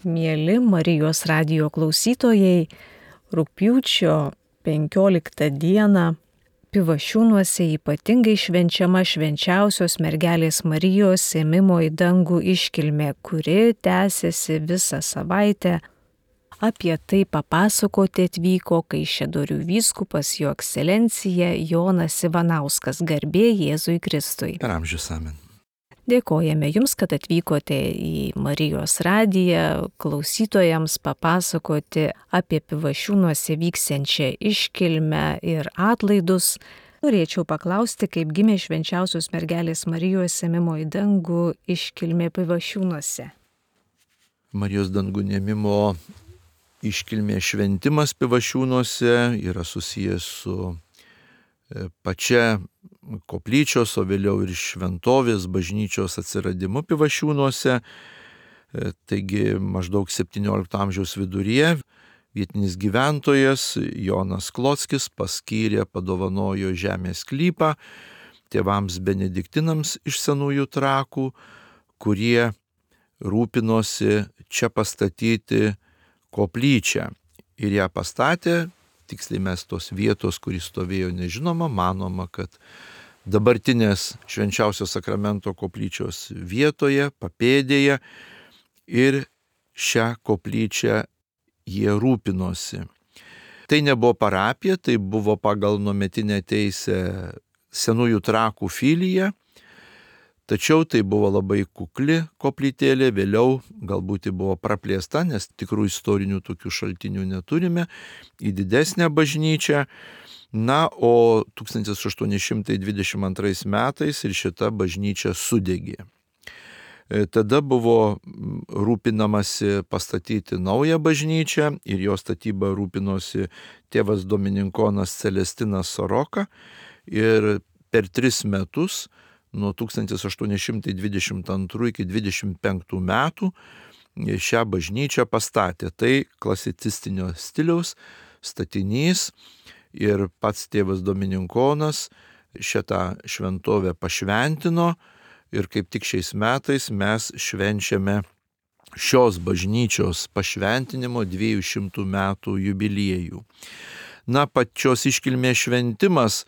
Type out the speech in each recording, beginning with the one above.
Mieli Marijos radijo klausytojai, rugpjūčio 15 dieną Pivašiūnuose ypatingai švenčiama švenčiausios mergelės Marijos ėmimo į dangų iškilmė, kuri tęsiasi visą savaitę. Apie tai papasakoti atvyko Kaišiadorių vyskupas Jo ekscelencija Jonas Ivanauskas, garbė Jėzui Kristui. Per amžius amen. Dėkojame Jums, kad atvykote į Marijos radiją klausytojams papasakoti apie Pivašiūnuose vyksiančią iškilmę ir atlaidus. Norėčiau paklausti, kaip gimė švenčiausios mergelės Marijos ėmimo į dangų iškilmė Pivašiūnuose. Marijos dangų ėmimo iškilmė šventimas Pivašiūnuose yra susijęs su pačia koplyčios, o vėliau ir šventovės bažnyčios atsiradimu Pivašiūnuose. Taigi maždaug 17 amžiaus viduryje vietinis gyventojas Jonas Klockis paskyrė, padovanojo žemės sklypą tėvams benediktinams iš Senųjų Trakų, kurie rūpinosi čia pastatyti koplyčią. Ir ją pastatė. Tiksliai mes tos vietos, kuris stovėjo, nežinoma, manoma, kad dabartinės švenčiausio sakramento koplyčios vietoje, papėdėje, ir šią koplyčią jie rūpinosi. Tai nebuvo parapija, tai buvo pagal nuometinę teisę Senųjų Trakų filija, tačiau tai buvo labai kukli koplytėlė, vėliau galbūt ji buvo praplėsta, nes tikrų istorinių tokių šaltinių neturime, į didesnę bažnyčią. Na, o 1822 metais ir šita bažnyčia sudegė. Tada buvo rūpinamasi pastatyti naują bažnyčią ir jo statybą rūpinosi tėvas dominikonas Celestinas Soroka ir per 3 metus nuo 1822 iki 25 metų šią bažnyčią pastatė. Tai klasicistinio stiliaus statinys ir pats tėvas dominikonas šitą šventovę pašventino ir kaip tik šiais metais mes švenčiame šios bažnyčios pašventinimo 200 metų jubiliejų. Na, pačios iškilmės šventimas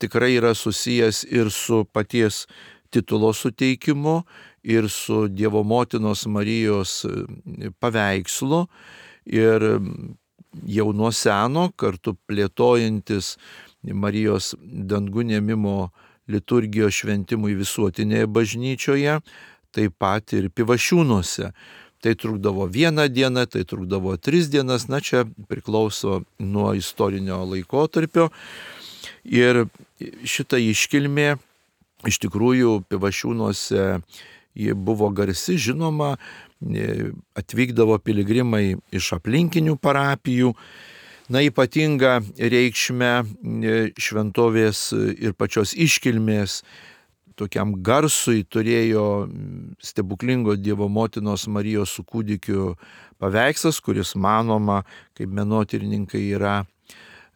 tikrai yra susijęs ir su paties titulo suteikimu, ir su Dievo motinos Marijos paveikslu. Ir jau nuo seno, kartu plėtojantis Marijos dangų ėmimo liturgijos šventimui visuotinėje bažnyčioje, taip pat ir Pivašiūnuose. Tai trukdavo 1 dieną, tai trukdavo 3 dienas, na čia priklauso nuo istorinio laikotarpio. Ir šita iškilmė iš tikrųjų Pivašiūnuose ji buvo garsi, žinoma, atvykdavo piligrimai iš aplinkinių parapijų. Na, ypatinga reikšmė šventovės ir pačios iškilmės tokiam garsui turėjo stebuklingo Dievo motinos Marijos su kūdikiu paveikslas, kuris manoma, kaip menotyrininkai yra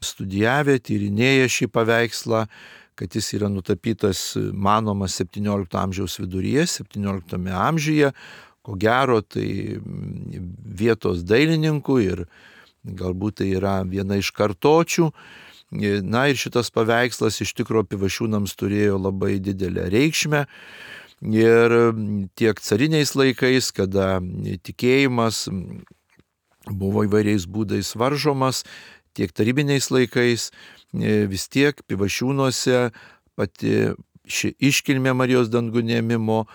studijavę, tyrinėję šį paveikslą, kad jis yra nutapytas, manoma, 17 amžiaus viduryje, 17 amžiuje, ko gero tai vietos dailininkų ir galbūt tai yra viena iš kartočių. Na ir šitas paveikslas iš tikrųjų Pivašiūnams turėjo labai didelę reikšmę. Ir tiek cariniais laikais, kada tikėjimas buvo įvairiais būdais varžomas, tiek tarybiniais laikais, vis tiek Pivašiūnuose pati ši iškilmė Marijos dangų ėmimo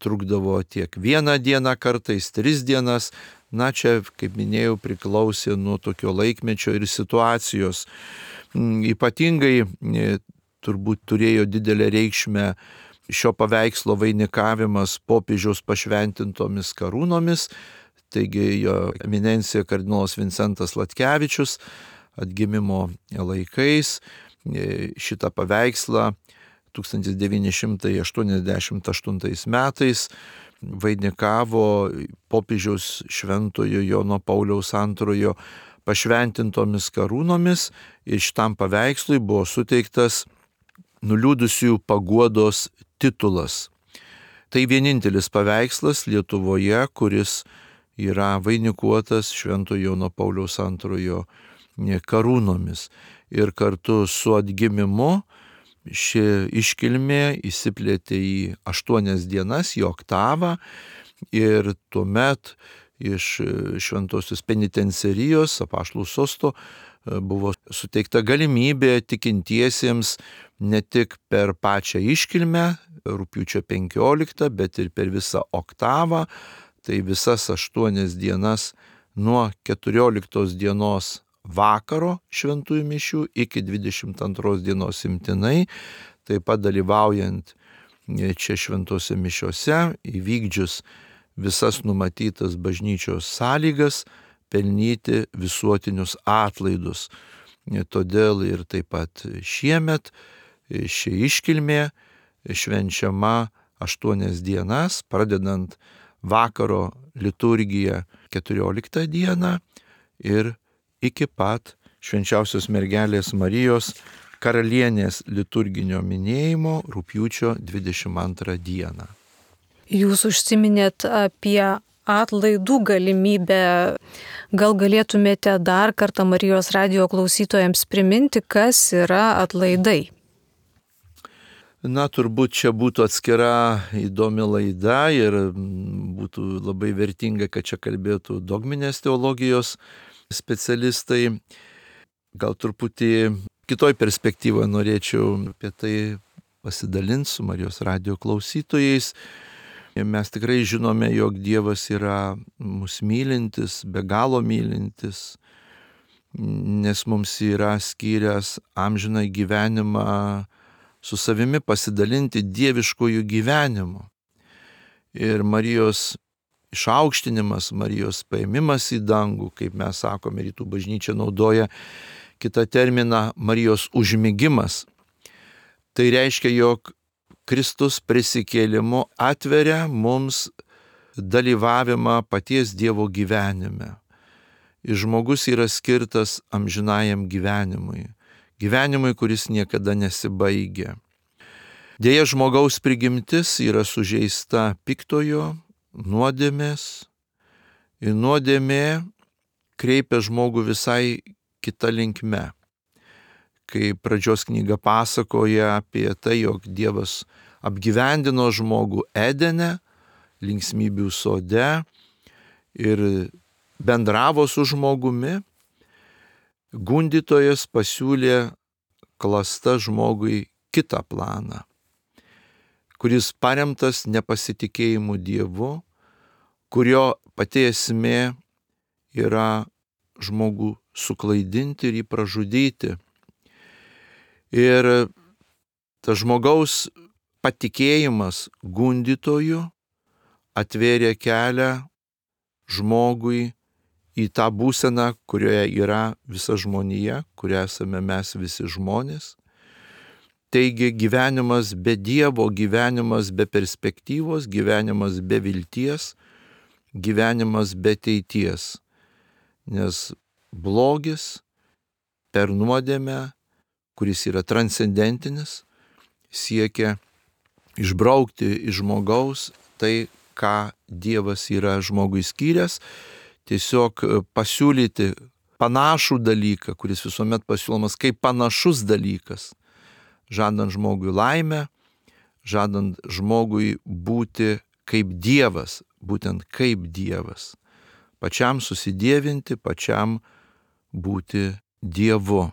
trukdavo tiek 1 dieną, kartais 3 dienas. Na, čia, kaip minėjau, priklausė nuo tokio laikmečio ir situacijos. Ypatingai turbūt turėjo didelę reikšmę šio paveikslo vainikavimas popiežiaus pašventintomis karūnomis. Taigi jo eminencija kardinolas Vincentas Latkevičius atgimimo laikais šitą paveikslą 1988 metais vainikavo popiežiaus šventojo Jono Pauliaus II pašventintomis karūnomis ir šitam paveikslui buvo suteiktas nuliūdusiųjų paguodos titulas. Tai vienintelis paveikslas Lietuvoje, kuris yra vainikuotas Šventojo Jono Pauliaus II karūnomis. Ir kartu su atgimimu ši iškilmė įsiplėtė į 8 dienas, į oktavą, ir tuomet iš Šventosios penitencerijos Apaštalų sosto buvo suteikta galimybė tikintiesiems ne tik per pačią iškilmę, rugpjūčio 15, bet ir per visą oktavą, tai visas 8 dienas nuo 14 dienos vakaro šventųjų mišių iki 22 dienos imtinai, taip pat dalyvaujant čia šventose mišiose, įvykdžius visas numatytas bažnyčios sąlygas, pelnyti visuotinius atlaidus. Todėl ir taip pat šiemet ši iškilmė švenčiama 8 dienas, pradedant vakaro liturgiją 14 dieną ir iki pat Švenčiausios mergelės Marijos karalienės liturginio minėjimo rugpjūčio 22 dieną. Jūs užsiminėt apie atlaidų galimybę. Gal galėtumėte dar kartą Marijos radijo klausytojams priminti, kas yra atlaidai? Na, turbūt čia būtų atskira įdomi laida ir būtų labai vertinga, kad čia kalbėtų dogminės teologijos specialistai. Gal truputį kitoj perspektyvoje norėčiau apie tai pasidalinti su Marijos radijo klausytojais. Mes tikrai žinome, jog Dievas yra mus mylintis, be galo mylintis, nes mums yra skyręs amžiną gyvenimą su savimi pasidalinti dieviškojų gyvenimu. Ir Marijos išaukštinimas, Marijos paėmimas į dangų, kaip mes sakome, rytų bažnyčia naudoja kitą terminą Marijos užmigimas. Tai reiškia, jog Kristus prisikėlimu atveria mums dalyvavimą paties Dievo gyvenime. Ir žmogus yra skirtas amžinajam gyvenimui. Gyvenimui, kuris niekada nesibaigia. Deja, žmogaus prigimtis yra sužeista piktojo, nuodėmės. Ir nuodėmė kreipia žmogų visai kita linkme. Kai pradžios knyga pasakoja apie tai, jog Dievas apgyvendino žmogų Edene, linksmybių sode ir bendravo su žmogumi, gundytojas pasiūlė klasta žmogui kitą planą, kuris paremtas nepasitikėjimu Dievu, kurio pati esmė yra žmogų suklaidinti ir jį pražudyti. Ir tas žmogaus patikėjimas gundytoju atvėrė kelią žmogui į tą būseną, kurioje yra visa žmonija, kurioje esame mes visi žmonės. Taigi gyvenimas be Dievo, gyvenimas be perspektyvos, gyvenimas be vilties, gyvenimas be ateities. Nes blogis per nuodėmę, kuris yra transcendentinis, siekia išbraukti iš žmogaus tai, ką Dievas yra žmogui skyręs, tiesiog pasiūlyti panašų dalyką, kuris visuomet pasiūlomas kaip panašus dalykas, žadant žmogui laimę, žadant žmogui būti kaip Dievas, būtent kaip Dievas, pačiam susidievinti, pačiam būti Dievu.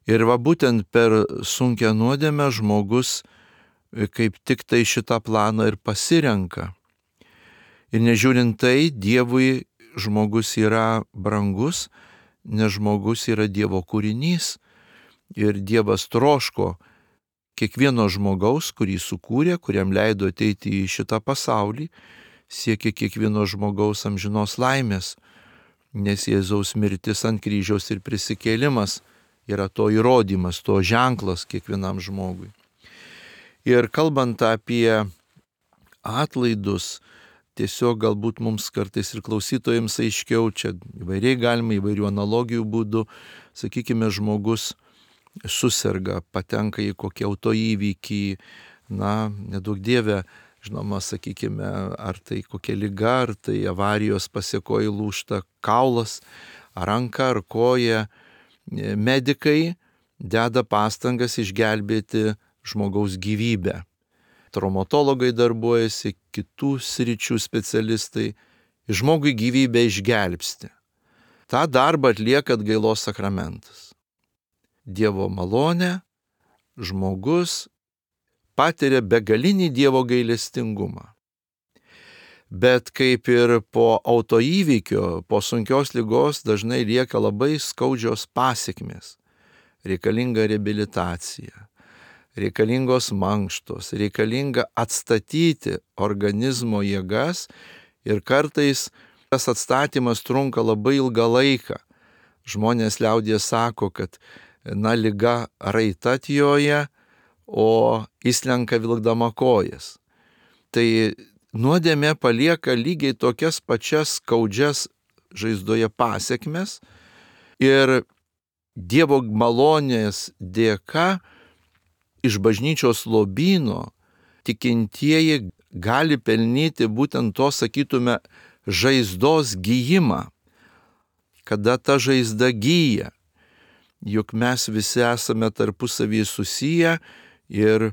Ir va būtent per sunkią nuodėmę žmogus kaip tik tai šitą planą ir pasirenka. Ir nežiūrint tai, Dievui žmogus yra brangus, nes žmogus yra Dievo kūrinys. Ir Dievas troško kiekvieno žmogaus, kurį sukūrė, kuriam leido ateiti į šitą pasaulį, siekia kiekvieno žmogaus amžinos laimės, nes Jėzaus mirtis ant kryžiaus ir prisikėlimas yra to įrodymas, to ženklas kiekvienam žmogui. Ir kalbant apie atlaidus, tiesiog galbūt mums kartais ir klausytojams aiškiau, čia įvairiai galima, įvairių analogijų būdų, sakykime, žmogus suserga, patenka į kokį autoįvykį, neduok Dieve, Žinoma, sakykime, ar tai kokia liga, ar tai avarijos pasiekoji lūžta kaulas, ar ranka, ar koja, medikai deda pastangas išgelbėti žmogaus gyvybę. Traumatologai darbuojasi, kitų sričių specialistai, žmogui gyvybę išgelbsti. Ta darbą atlieka atgailos sakramentas. Dievo malonę žmogus patiria begalinį Dievo gailestingumą. Bet kaip ir po autoįvykio, po sunkios ligos dažnai lieka labai skaudžios pasekmės. Reikalinga reabilitacija, reikalingos mankštos, reikalinga atstatyti organizmo jėgas ir kartais tas atstatymas trunka labai ilgą laiką. Žmonės liaudyje sako, kad liga raita atjoja, o įslenka vilkdama kojas. Tai nuodėmė palieka lygiai tokias pačias skaudžias žaizdoje pasekmes ir Dievo malonės dėka iš bažnyčios lobyno tikintieji gali pelnyti būtent to, sakytume, žaizdos gijimą, kada ta žaizda gyja. Juk mes visi esame tarpusavį susiję ir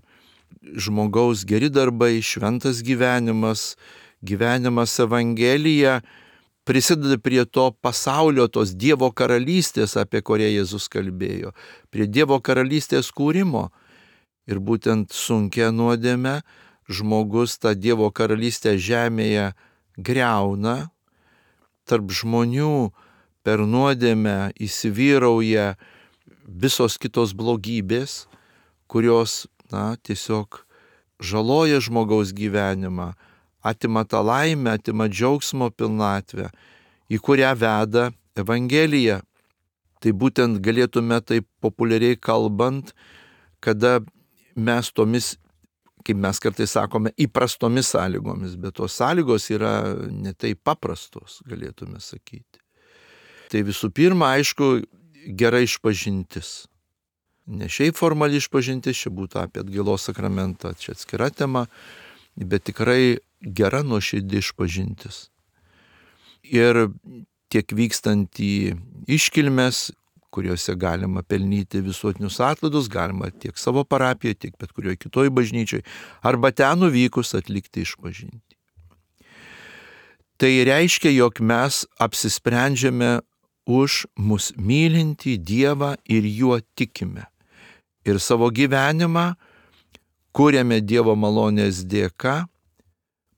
žmogaus geri darbai, šventas gyvenimas, gyvenimas Evangelija prisideda prie to pasaulio, tos Dievo karalystės, apie kurią Jėzus kalbėjo, prie Dievo karalystės kūrimo. Ir būtent sunkia nuodėme žmogus tą Dievo karalystę žemėje griauna, tarp žmonių per nuodėmę įsivyrauja visos kitos blogybės, kurios tiesiog žaloja žmogaus gyvenimą, atima tą laimę, atima džiaugsmo pilnatvę, į kurią veda Evangelija. Tai būtent galėtume taip populiariai kalbant, kada mes tomis, kaip mes kartais sakome, įprastomis sąlygomis, bet tos sąlygos yra ne taip paprastos, galėtume sakyti. Tai visų pirma, aišku, gera išpažintis. Ne šiaip formali išpažintis, čia būtų apie atgailos sakramentą, čia atskira tema, bet tikrai gera nuoširdi išpažintis. Ir tiek vykstant į iškilmes, kuriuose galima pelnyti visuotinius atlaidus, galima tiek savo parapijoje, tiek bet kurioje kitoje bažnyčioje, arba ten nuvykus atlikti išpažinti. Tai reiškia, jog mes apsisprendžiame už mus mylintį Dievą ir juo tikime. Ir savo gyvenimą kuriame Dievo malonės dėka,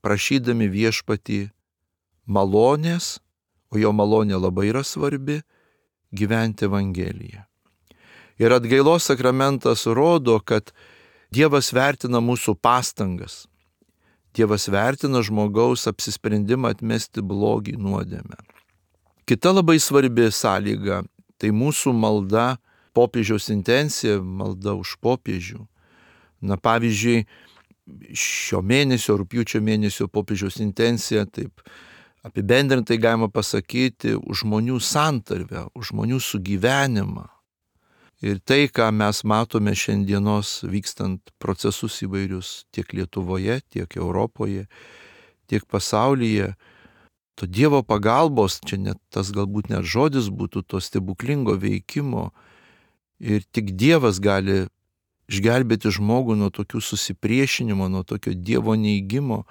prašydami viešpatį malonės, o jo malonė labai yra svarbi, gyventi Evangeliją. Ir atgailos sakramentas rodo, kad Dievas vertina mūsų pastangas. Dievas vertina žmogaus apsisprendimą atmesti blogį, nuodėmę. Kita labai svarbi sąlyga – tai mūsų malda, popiežiaus intencija, malda už popiežių. Pavyzdžiui, šio mėnesio, rugpjūčio mėnesio popiežiaus intencija, taip apibendrintai galima pasakyti, už žmonių santarvę, už žmonių sugyvenimą. Ir tai, ką mes matome šiandienos vykstant procesus įvairius tiek Lietuvoje, tiek Europoje, tiek pasaulyje, to Dievo pagalbos, čia net tas galbūt net žodis būtų, to stebuklingo veikimo. Ir tik Dievas gali išgelbėti žmogų nuo tokių susipriešinimo, nuo tokio Dievo neigimo.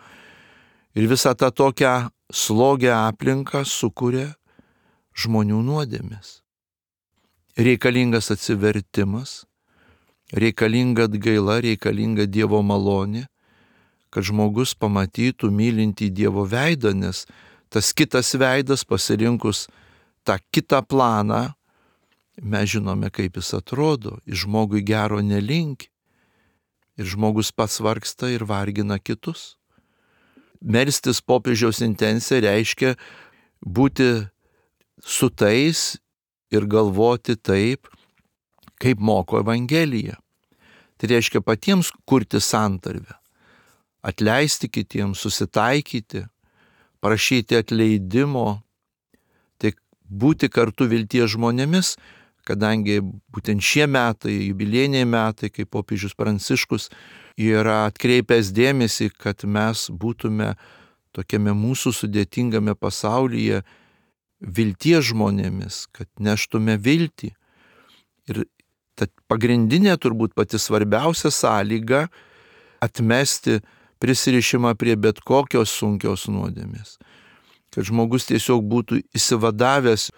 Ir visą tą tokią slogę aplinką sukuria žmonių nuodėmės. Reikalingas atsivertimas, reikalinga atgaila, reikalinga Dievo malonė, kad žmogus pamatytų mylintį Dievo veidą, nes tas kitas veidas, pasirinkus tą kitą planą, mes žinome, kaip jis atrodo, ir žmogui gero nelinki, ir žmogus pats vargsta ir vargina kitus. Melstis popiežiaus intencija reiškia būti su tais ir galvoti taip, kaip moko Evangelija. Tai reiškia patiems kurti santarvę, atleisti kitiems, susitaikyti, prašyti atleidimo, tai būti kartu vilties žmonėmis, kadangi būtent šie metai, jubiliejiniai metai, kai popiežius Pranciškus yra atkreipęs dėmesį, kad mes būtume tokiame mūsų sudėtingame pasaulyje vilties žmonėmis, kad neštume viltį. Ir ta pagrindinė, turbūt pati svarbiausia sąlyga atmesti prisirišimą prie bet kokios sunkios nuodėmės. Kad žmogus tiesiog būtų išsivadavęs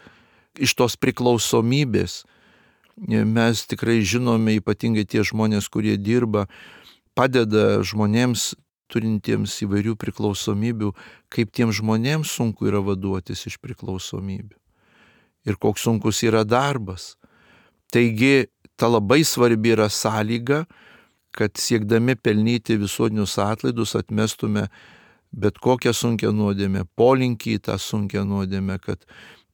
iš tos priklausomybės. Mes tikrai žinome, ypatingai tie žmonės, kurie dirba, padeda žmonėms turintiems įvairių priklausomybių, kaip tiems žmonėms sunku yra vaduotis iš priklausomybių. Ir koks sunkus yra darbas. Taigi, ta labai svarbi yra sąlyga, kad siekdami pelnyti visuotinius atlaidus atmestume bet kokią sunkią nuodėmę, polinkį į tą sunkią nuodėmę, kad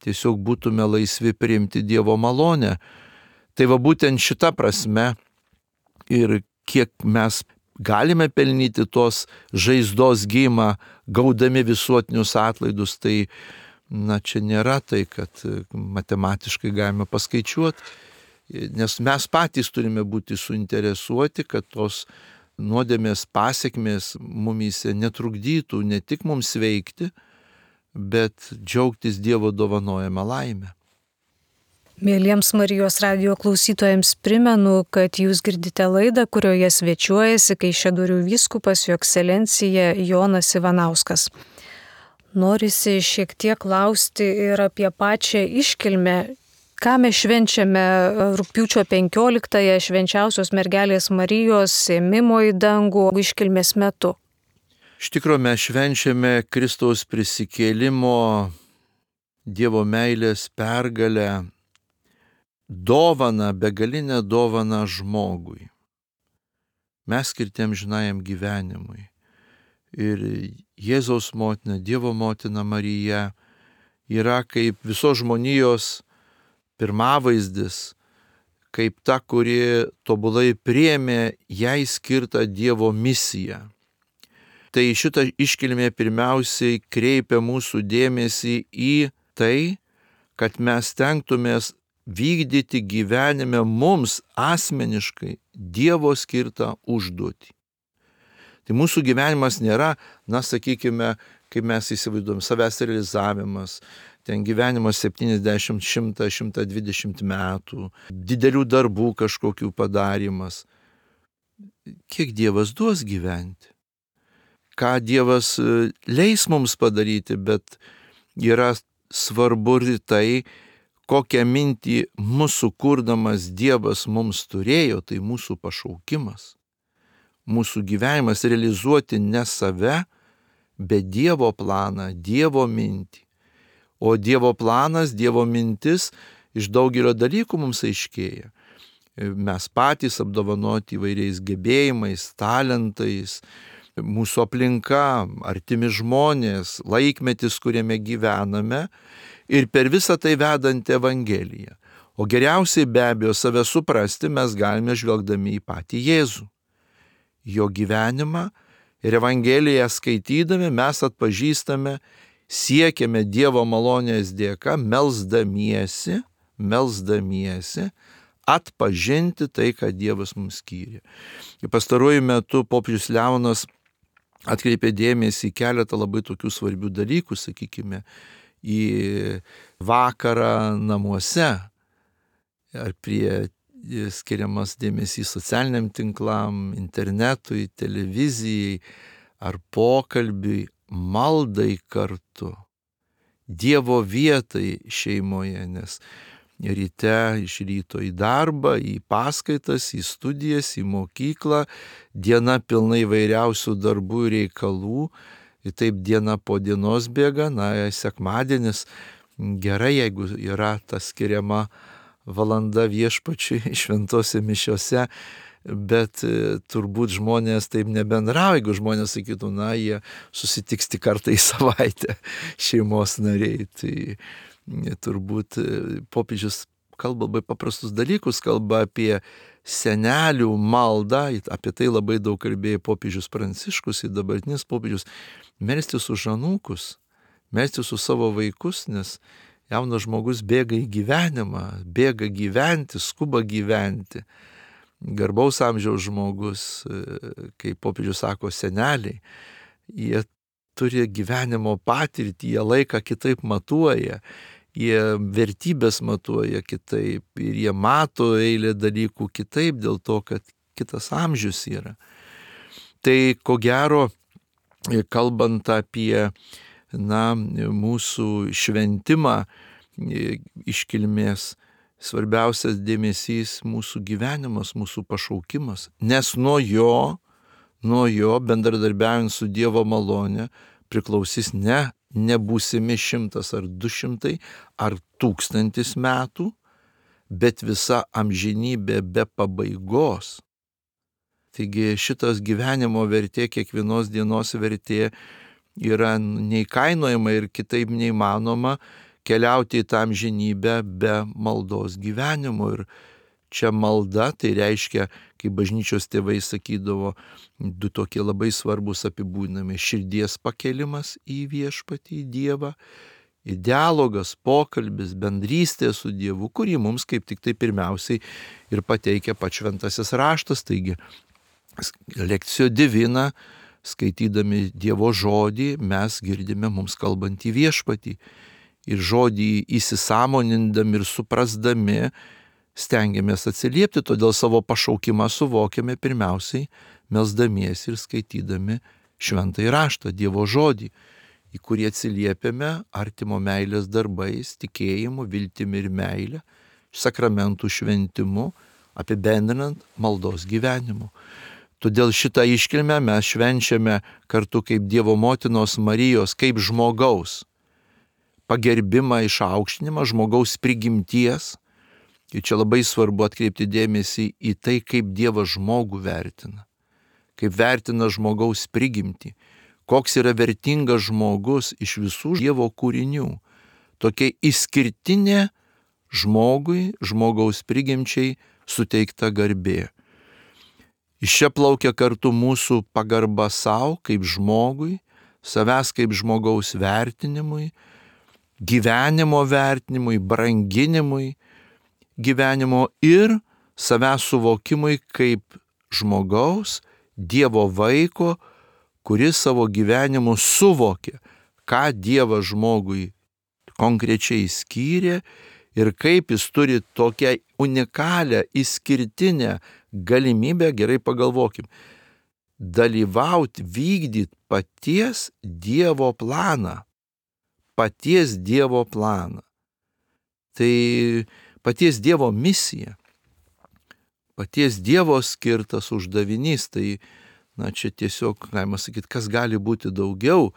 tiesiog būtume laisvi priimti Dievo malonę. Tai va būtent šita prasme ir kiek mes galime pelnyti tos žaizdos gijimą, gaudami visuotinius atlaidus, tai čia nėra tai, kad matematiškai galime paskaičiuoti, nes mes patys turime būti suinteresuoti, kad tos nuodėmės pasiekmės mumyse netrukdytų ne tik mums veikti, bet džiaugtis Dievo dovanojama laimė. Mėlyjams Marijos radijo klausytojams primenu, kad jūs girdite laidą, kurioje svečiuojasi Kaišiadorių vyskupas Jo Ekscelencija Jonas Ivanauskas. Norisi šiek tiek klausti ir apie pačią iškilmę. Ką mes švenčiame rugpjūčio 15-ąją švenčiausios mergelės Marijos ėmimo į dangų iškilmės metu? Iš tikrųjų mes švenčiame Kristaus prisikėlimo, Dievo meilės pergalę, dovaną, begalinę dovaną žmogui. Mes skirti amžinajam gyvenimui. Ir Jėzaus motina, Dievo motina Marija yra kaip visos žmonijos pirmavaizdis, kaip ta, kuri tobulai priėmė jai skirtą Dievo misiją. Tai šita iškilmė pirmiausiai kreipia mūsų dėmesį į tai, kad mes stengtumės vykdyti gyvenime mums asmeniškai Dievo skirtą užduotį. Tai mūsų gyvenimas nėra, sakykime, kaip mes įsivaizduojam, savęs realizavimas, ten gyvenimas 70, 100, 120 metų, didelių darbų kažkokių padarimas. Kiek Dievas duos gyventi? Ką Dievas leis mums padaryti, bet yra svarbu ir tai, kokią mintį mūsų kurdamas Dievas mums turėjo, tai mūsų pašaukimas. Mūsų gyvenimas realizuoti ne save, bet Dievo planą, Dievo mintį. O Dievo planas, Dievo mintis iš daugelio dalykų mums aiškėja. Mes patys apdovanoti įvairiais gebėjimais, talentais, mūsų aplinka, artimi žmonės, laikmetis, kuriame gyvename ir per visą tai vedant Evangeliją. O geriausiai be abejo save suprasti mes galime žvelgdami į patį Jėzų. Jo gyvenimą ir Evangeliją skaitydami mes atpažįstame, siekiame Dievo malonės dėka, melsdamiesi atpažinti tai, ką Dievas mums skyrė. Pastaruoju metu popiežius Leonas atkreipė dėmesį į keletą labai tokių svarbių dalykų, sakykime, į vakarą namuose, ar prie skiriamas dėmesys socialiniam tinklam, internetui, televizijai, ar pokalbiui, maldai kartu, Dievo vietai šeimoje, nes ryte iš ryto į darbą, į paskaitas, į studijas, į mokyklą, diena pilna įvairiausių darbų ir reikalų, ir taip diena po dienos bėga, sekmadienis gerai, jeigu yra ta skiriama valanda viešpačiui šventose mišiose, bet turbūt žmonės taip nebendrauja, jeigu žmonės sakytų, jie susitiks tik kartą į savaitę šeimos nariai. Tai turbūt popiežius kalba labai paprastus dalykus, kalba apie senelių maldą, apie tai labai daug kalbėjo popiežius Pranciškus ir dabartinis popiežius, melstis už anūkus, melstis už savo vaikus, nes Jaunas žmogus bėga į gyvenimą, bėga gyventi, skuba gyventi. Garbaus amžiaus žmogus, kaip popiežius sako, seneliai, jie turi gyvenimo patirtį, jie laiką kitaip matuoja, jie vertybės matuoja kitaip ir jie mato eilę dalykų kitaip dėl to, kad kitas amžius yra. Tai ko gero, kalbant apie mūsų šventimą iškilmės, svarbiausias dėmesys mūsų gyvenimas, mūsų pašaukimas, nes nuo jo bendradarbiaujant su Dievo malone priklausys nebūsimi 100 ar 200 ar 1000 metų, bet visa amžinybė be pabaigos. Taigi šitas gyvenimo vertė, kiekvienos dienos vertė yra neįkainojama ir kitaip neįmanoma keliauti į tą amžinybę be maldos gyvenimo. Ir čia malda, tai reiškia, kaip bažnyčios tėvai sakydavo, 2 tokie labai svarbus apibūdinami: širdies pakelimas į viešpatį, į Dievą, ir dialogas, pokalbis, bendrystė su Dievu, kurį mums kaip tik tai pirmiausiai ir pateikia pats šventasis raštas. Taigi, lekcijo divina, skaitydami Dievo žodį, mes girdime mums kalbantį viešpatį. Ir žodį įsisąmonindami ir suprasdami stengiamės atsiliepti, todėl savo pašaukimą suvokiame pirmiausiai melsdamiesi ir skaitydami šventąjį raštą, Dievo žodį, į kurį atsiliepiame artimo meilės darbais, tikėjimu, viltimi ir meilė, sakramentų šventimu, apibendrinant maldos gyvenimu. Todėl šitą iškilmę mes švenčiame kartu kaip Dievo motinos Marijos, kaip žmogaus pagerbimą, išaukštinimą, žmogaus prigimties. Ir čia labai svarbu atkreipti dėmesį į tai, kaip Dievas žmogų vertina, kaip vertina žmogaus prigimtį, koks yra vertingas žmogus iš visų Dievo kūrinių. Tokia išskirtinė žmogui, žmogaus prigimčiai suteikta garbė. Iš čia plaukia kartu mūsų pagarba savo kaip žmogui, savęs kaip žmogaus vertinimui, gyvenimo vertinimui, branginimui gyvenimo ir savęs suvokimui kaip žmogaus, Dievo vaiko, kuris savo gyvenimu suvokė, ką Dievas žmogui konkrečiai skyrė ir kaip jis turi tokią unikalią, išskirtinę galimybę, gerai pagalvokim, dalyvauti, vykdyti paties Dievo planą. Paties Dievo planą. Tai paties Dievo misija. Paties Dievo skirtas uždavinys. Tai, čia tiesiog, galima sakyti, kas gali būti daugiau.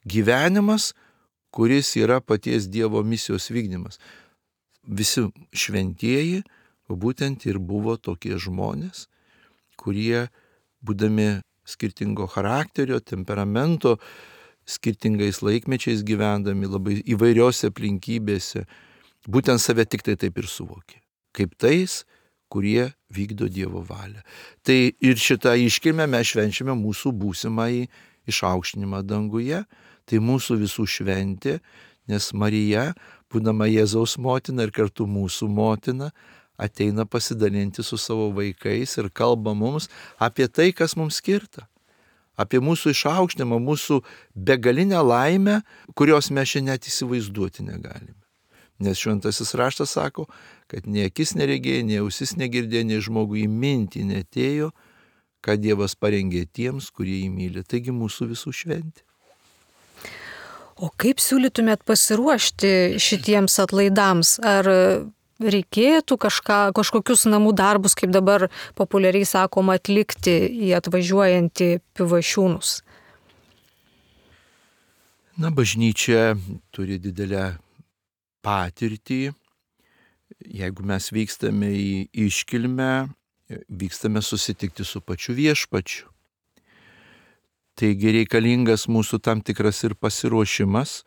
Gyvenimas, kuris yra paties Dievo misijos vykdymas. Visi šventieji būtent ir buvo tokie žmonės, kurie, būdami skirtingo charakterio, temperamento, skirtingais laikmečiais gyvendami, labai įvairiose aplinkybėse, būtent save tik tai taip ir suvokė, kaip tais, kurie vykdo Dievo valią. Tai ir šitą iškilmę mes švenčiame mūsų būsimąjį išaukštinimą danguje, tai mūsų visų šventė, nes Marija, būdama Jėzaus motina ir kartu mūsų motina, ateina pasidalinti su savo vaikais ir kalba mums apie tai, kas mums skirta. Apie mūsų išaukštinimą, mūsų begalinę laimę, kurios mes šiandien net įsivaizduoti negalime. Nes šventasis raštas sako, kad nei akis neregėjo, nei ausis negirdėjo, nei žmogui į mintį neatėjo, ką Dievas parengė tiems, kurie jį myli. Taigi mūsų visų šventė. O kaip siūlytumėt pasiruošti šitiems atlaidams? Ar reikėtų kažkokius namų darbus, kaip dabar populiariai sakoma, atlikti į atvažiuojantį Pivašiūnus? Bažnyčia turi didelę patirtį. Jeigu mes vykstame į iškilmę, vykstame susitikti su pačiu viešpačiu. Taigi reikalingas mūsų tam tikras ir pasiruošimas.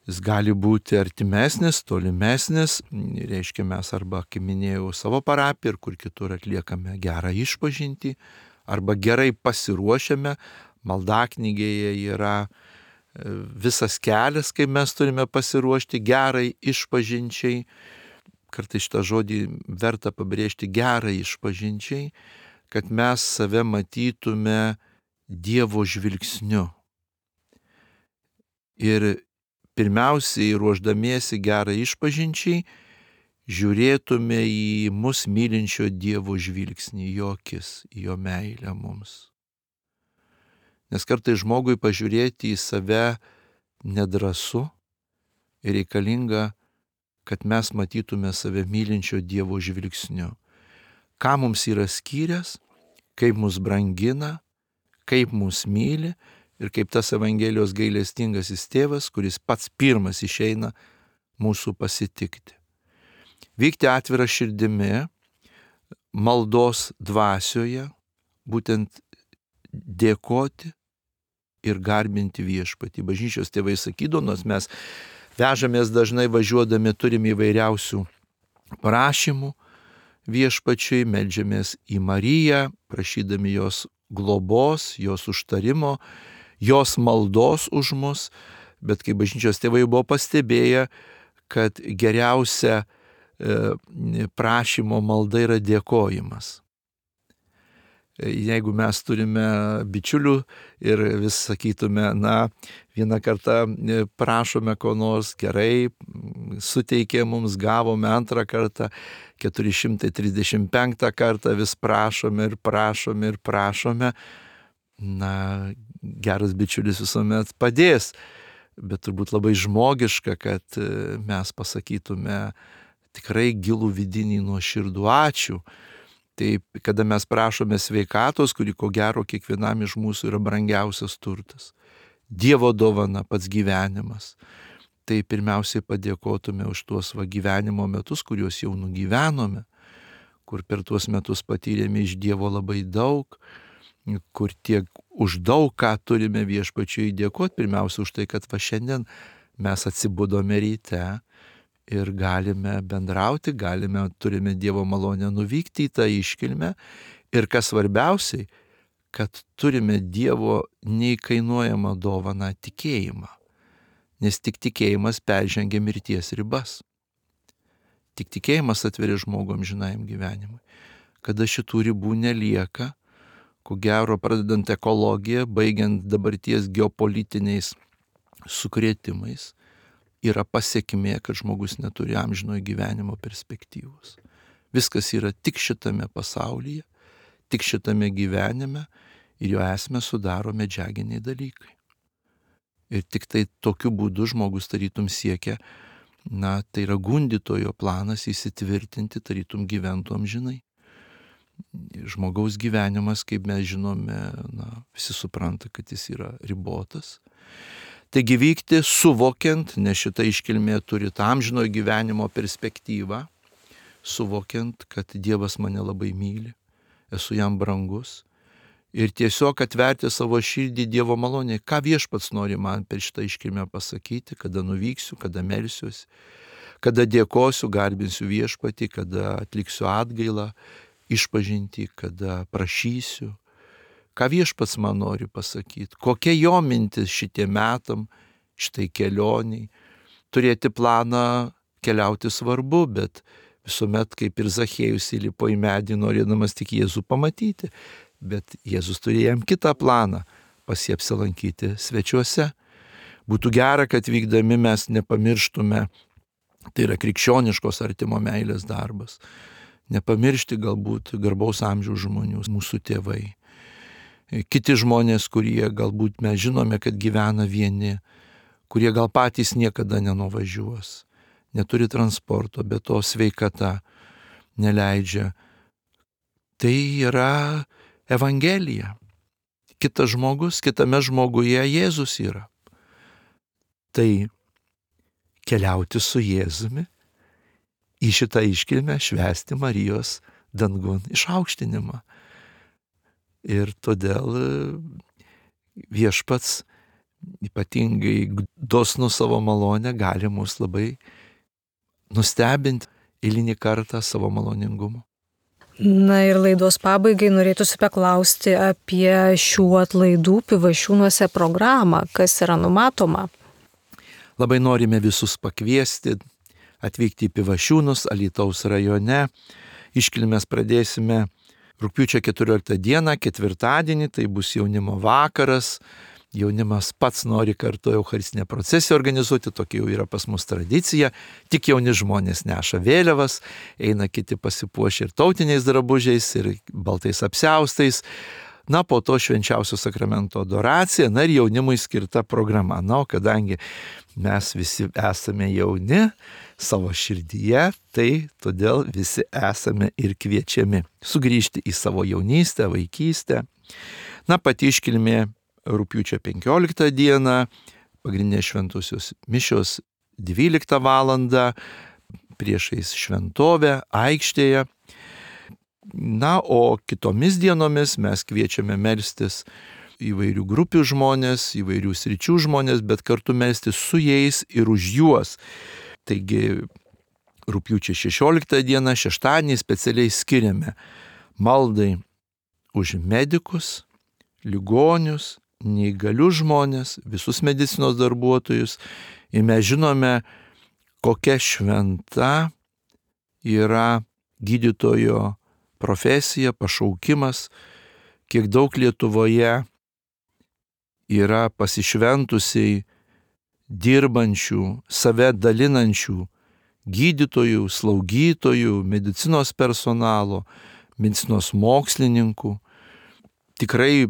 Jis gali būti artimesnis, tolimesnis, reiškia mes arba, kaip minėjau, savo parapiją ir kur kitur atliekame gerą išpažintį, arba gerai pasiruošiame, maldaknygėje yra visas kelias, kaip mes turime pasiruošti gerai išpažinčiai. Kartais šitą žodį verta pabrėžti, gerai išpažinčiai, kad mes save matytume Dievo žvilgsniu. Ir pirmiausiai, ruoždamiesi gerai išpažinčiai, žiūrėtume į mus mylinčio Dievo žvilgsnį, į jo akis, į jo meilę mums. Nes kartais žmogui pažiūrėti į save nedrąsu ir reikalinga, kad mes matytume save mylinčio Dievo žvilgsniu. Ką mums yra skyręs, kaip mus brangina, kaip mus myli ir kaip tas Evangelijos gailestingasis tėvas, kuris pats pirmas išeina mūsų pasitikti. Vykti atvirą širdimi, maldos dvasioje, būtent dėkoti ir garbinti viešpatį. Bažnyčios tėvai sakydavo, nors mes vežamės dažnai važiuodami, turim įvairiausių prašymų viešpačiui, meldžiamės į Mariją, prašydami jos globos, jos užtarimo, jos maldos už mus, bet kai bažnyčios tėvai buvo pastebėję, kad geriausia prašymo malda yra dėkojimas. Jeigu mes turime bičiulių ir vis sakytume, vieną kartą prašome ko nors, gerai, suteikė mums, gavome antrą kartą, 435 kartą vis prašome ir prašome ir prašome, geras bičiulis visuomet padės, bet turbūt labai žmogiška, kad mes pasakytume tikrai gilų vidinį nuoširdų ačiū. Taip, kada mes prašome sveikatos, kuri ko gero kiekvienam iš mūsų yra brangiausias turtas, Dievo dovana, pats gyvenimas, tai pirmiausiai padėkotume už tuos gyvenimo metus, kuriuos jau nugyvenome, kur per tuos metus patyrėme iš Dievo labai daug, kur tiek už daug ką turime viešpačiui dėkoti, pirmiausia už tai, kad šiandien mes atsibudome ryte, ir galime bendrauti, turime Dievo malonę nuvykti į tą iškilmę ir kas svarbiausiai, kad turime Dievo neįkainuojamą dovaną tikėjimą, nes tik tikėjimas peržengia mirties ribas. Tik tikėjimas atveria žmogų amžinajam gyvenimui. Kada šitų ribų nelieka, ko gero pradedant ekologiją, baigiant dabarties geopolitiniais sukrėtimais, yra pasiekmė, kad žmogus neturi amžinojo gyvenimo perspektyvos. Viskas yra tik šitame pasaulyje, tik šitame gyvenime ir jo esmę sudaro medžiaginiai dalykai. Ir tik tai tokiu būdu žmogus tarytum siekia, tai yra gundytojo planas įsitvirtinti, tarytum gyventų amžinai. Žmogaus gyvenimas, kaip mes žinome, visi supranta, kad jis yra ribotas. Taigi vykti suvokiant, nes šita iškilmė turi tą amžinojo gyvenimo perspektyvą, suvokiant, kad Dievas mane labai myli, esu jam brangus ir tiesiog atverti savo širdį Dievo malonėje, ką viešpats nori man per šitą iškilmę pasakyti, kada nuvyksiu, kada melsiuosi, kada dėkosiu, garbinsiu viešpatį, kada atliksiu atgailą, išpažinti, kada prašysiu. Ką viešpats man nori pasakyti, kokia jo mintis šitie metam, šitai kelioniai. Turėti planą keliauti svarbu, bet visuomet kaip ir Zachiejus įlipo į medį, norėdamas tik Jėzų pamatyti. Bet Jėzus turėjo jam kitą planą, pas jį apsilankyti svečiuose. Būtų gera, kad vykdami mes nepamirštume, tai yra krikščioniškos artimo meilės darbas. Nepamiršti galbūt garbaus amžiaus žmonių, mūsų tėvai. Kiti žmonės, kurie galbūt mes žinome, kad gyvena vieni, kurie gal patys niekada nenuvažiuos, neturi transporto, bet to sveikata neleidžia. Tai yra Evangelija. Kitas žmogus, kitame žmoguje Jėzus yra. Tai keliauti su Jėzumi į šitą iškilmę, švęsti Marijos dangun išaukštinimą. Ir todėl viešpats ypatingai dosnų savo malonę gali mus labai nustebinti eilinį kartą savo maloningumu. Na ir laidos pabaigai norėtųsi paklausti apie šių atlaidų Pivašiūnuose programą, kas yra numatoma. Labai norime visus pakviesti, atvykti į Pivašiūnus, Alytaus rajone. Iškilmes pradėsime rugpjūčio 14 dieną, ketvirtadienį, tai bus jaunimo vakaras. Jaunimas pats nori kartu eucharistinę procesiją organizuoti, tokia jau yra pas mus tradicija. Tik jauni žmonės neša vėliavas, eina kiti pasipuošę ir tautiniais drabužiais, ir baltais apsiaustais. Na, po to švenčiausio sakramento adoracija, na ir jaunimui skirta programa. Na, o kadangi mes visi esame jauni savo širdyje, tai todėl visi esame ir kviečiami sugrįžti į savo jaunystę, vaikystę. Na, pati iškilmė rugpjūčio 15 dieną, pagrindinės šventosios mišios 12 valandą, priešais šventovę, aikštėje. Na, o kitomis dienomis mes kviečiame melstis įvairių grupių žmonės, įvairių sričių žmonės, bet kartu melstis su jais ir už juos. Taigi, rugpjūčio 16 dieną, šeštadienį specialiai skiriame maldai už medikus, ligonius, neįgalius žmonės, visus medicinos darbuotojus. Ir mes žinome, kokia šventa yra gydytojo profesija, pašaukimas, kiek daug Lietuvoje yra pasišventusiai dirbančių, save dalinančių gydytojų, slaugytojų, medicinos personalo, medicinos mokslininkų. Tikrai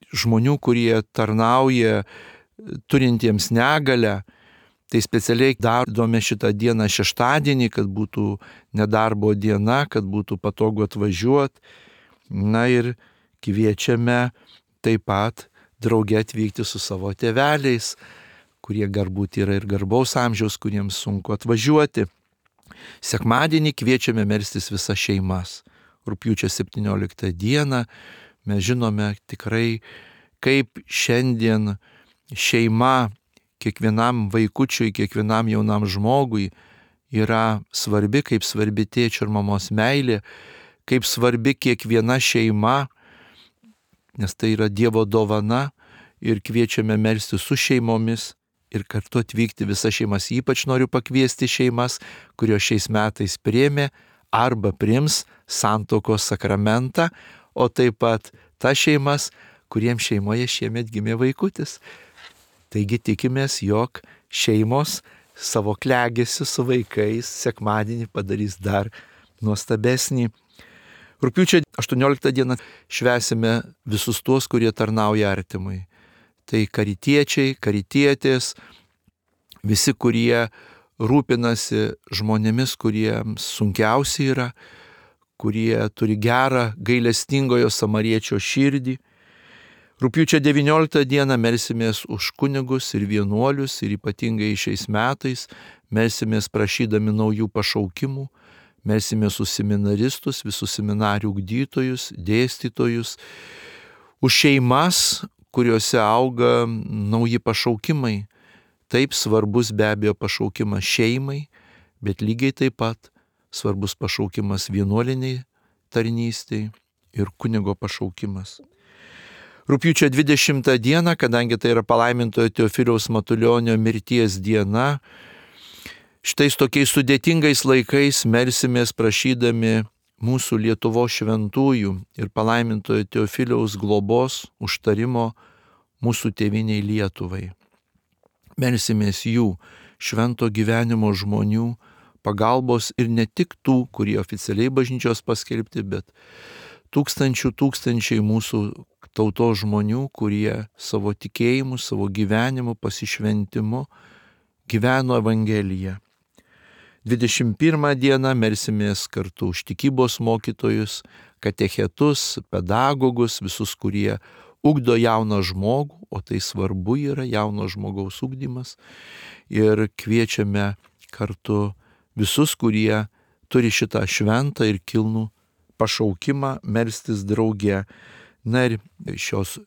žmonių, kurie tarnauja turintiems negalią, tai specialiai darome šitą dieną šeštadienį, kad būtų nedarbo diena, kad būtų patogu atvažiuoti. Na ir kviečiame taip pat drauge atvykti su savo tėveliais, kurie galbūt yra ir garbaus amžiaus, kuriems sunku atvažiuoti. Sekmadienį kviečiame melstis visas šeimas. Rugpjūčio 17 dieną mes žinome tikrai, kaip šiandien šeima kiekvienam vaikučiui, kiekvienam jaunam žmogui yra svarbi, kaip svarbi tėčio ir mamos meilė, kaip svarbi kiekviena šeima, nes tai yra Dievo dovana, ir kviečiame melstis su šeimomis ir kartu atvykti visas šeimas. Ypač noriu pakviesti šeimas, kurios šiais metais priėmė arba priims santuokos sakramentą, o taip pat tas šeimas, kuriems šeimoje šiemet gimė vaikutis. Taigi tikimės, jog šeimos savo klegesiu su vaikais sekmadienį padarys dar nuostabesnį. Rugpjūčio 18 dieną švęsime visus tuos, kurie tarnauja artimui. Tai karitiečiai, karitietės, visi, kurie rūpinasi žmonėmis, kuriems sunkiausia yra, kurie turi gerą gailestingojo samariečio širdį. Rugpjūčio 19 dieną melsimės už kunigus ir vienuolius, ir ypatingai šiais metais melsimės prašydami naujų pašaukimų, melsimės už seminaristus, visus seminarijų ugdytojus, dėstytojus, už šeimas, kuriuose auga nauji pašaukimai. Taip svarbus be abejo pašaukimas šeimai, bet lygiai taip pat svarbus pašaukimas vienuoliniai tarnystei ir kunigo pašaukimas. Rugpjūčio 20 dieną, kadangi tai yra palaimintojo Teofiliaus Matulionio mirties diena, šitais tokiais sudėtingais laikais melsimės prašydami mūsų Lietuvos šventųjų ir palaimintojo Teofiliaus globos užtarimo mūsų tėviniai Lietuvai. Melsimės jų švento gyvenimo žmonių pagalbos ir ne tik tų, kurie oficialiai bažnyčios paskelbti, bet tūkstančiai mūsų tautos žmonių, kurie savo tikėjimu, savo gyvenimu, pasišventimu gyveno Evangeliją. 21 dieną melsimės kartu už tikybos mokytojus, katechetus, pedagogus, visus, kurie ugdo jauną žmogų, o tai svarbu yra jauno žmogaus ugdymas. Ir kviečiame kartu visus, kurie turi šitą šventą ir kilnų pašaukimą melstis drauge. Na ir šios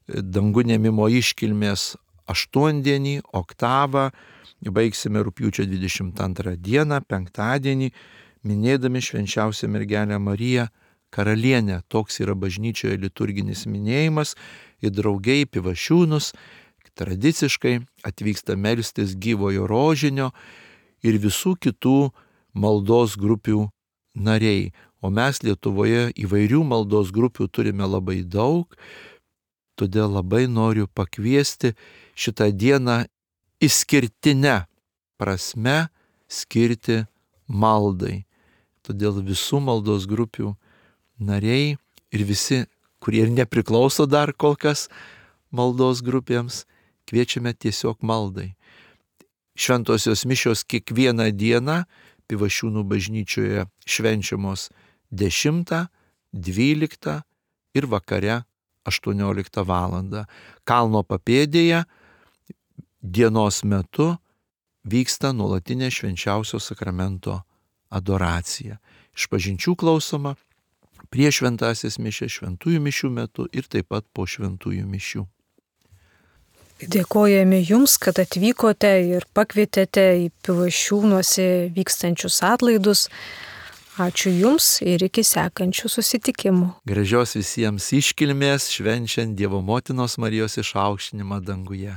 dangų ėmimo iškilmės aštuondienį, oktavą, baigsime rugpjūčio 22 dieną, penktadienį, minėdami švenčiausią mergelę Mariją, karalienė. Toks yra bažnyčioje liturginis minėjimas. Ir draugiai į Pivašiūnus tradiciškai atvyksta melstis gyvojo rožinio ir visų kitų maldos grupių nariai. O mes Lietuvoje įvairių maldos grupių turime labai daug, todėl labai noriu pakviesti šitą dieną išskirtinę prasme skirti maldai. Todėl visų maldos grupių nariai ir visi, kurie ir nepriklauso dar kol kas maldos grupėms, kviečiame tiesiog maldai. Šventosios mišios kiekvieną dieną Pivašiūnų bažnyčioje švenčiamos 10, 12 ir vakare 18 valandą. Kalno papėdėje dienos metu vyksta nuolatinė švenčiausio sakramento adoracija. Išpažinčių klausoma prieš šventąsias mišias, šventųjų mišių metu ir taip pat po šventųjų mišių. Dėkojame Jums, kad atvykote ir pakvietėte į Pivašiūnuose vykstančius atlaidus. Ačiū Jums ir iki sekančių susitikimų. Gražios visiems iškilmės švenčiant Dievo motinos Marijos išaukštinimą danguje.